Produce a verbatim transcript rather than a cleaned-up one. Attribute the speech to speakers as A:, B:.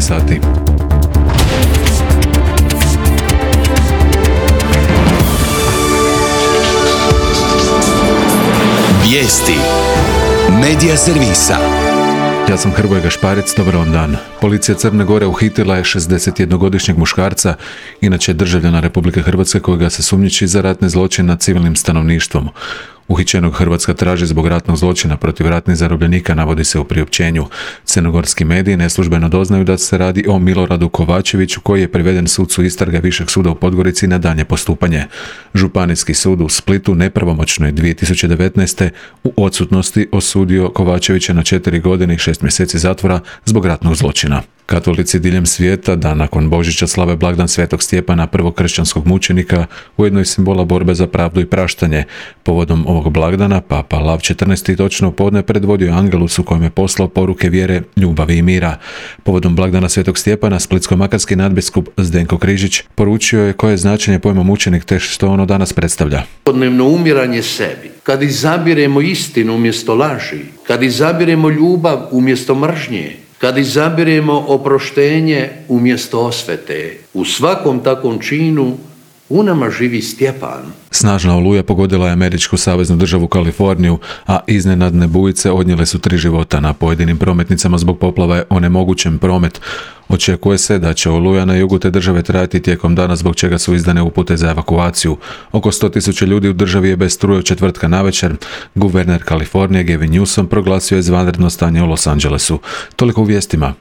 A: sati.
B: Vijesti Medija servisa.
A: Ja sam Hrvoje Gašparec, dobar vam dan. Policija Crne Gore uhitila je šezdesetjednogodišnjeg muškarca, inače državljana Republike Hrvatske, kojega se sumnjiči za ratni zločin nad civilnim stanovništvom. Uhićenog Hrvatska traži zbog ratnog zločina protiv ratnih zarobljenika, navodi se u priopćenju. Crnogorski mediji neslužbeno doznaju da se radi o Miloradu Kovačeviću, koji je priveden sucu istrage Višeg suda u Podgorici na daljnje postupanje. Županijski sud u Splitu nepravomoćno je dvije tisuće devetnaeste u odsutnosti osudio Kovačevića na četiri godine i šest mjeseci zatvora zbog ratnog zločina. Katolici diljem svijeta dan nakon Božića slave blagdan Svetog Stjepana, prvog kršćanskog mučenika, ujedno i simbola borbe za pravdu i praštanje. Povodom ovog blagdana Papa Lav četrnaesti točno u podne predvodio Angelus u kojem je poslao poruke vjere, ljubavi i mira. Povodom blagdana Svetog Stjepana splitsko-makarski nadbiskup Zdenko Križić poručio je koje je značenje pojma mučenik te što ono danas predstavlja.
C: Svakodnevno umiranje sebi, kad izabiremo istinu umjesto laži, kad izabiremo ljubav umjesto mržnje, kad izabiremo oproštenje umjesto osvete, u svakom takvom činu u nama živi Stjepan.
A: Snažna oluja pogodila je američku saveznu državu Kaliforniju, a iznenadne bujice odnijele su tri života. Na pojedinim prometnicama zbog poplava je onemogućen promet. Očekuje se da će oluja na jugu te države trajati tijekom dana, zbog čega su izdane upute za evakuaciju. Oko sto tisuća ljudi u državi je bez struje od četvrtka navečer. Guverner Kalifornije Gavin Newsom proglasio je izvanredno stanje u Los Angelesu. Toliko u vijestima.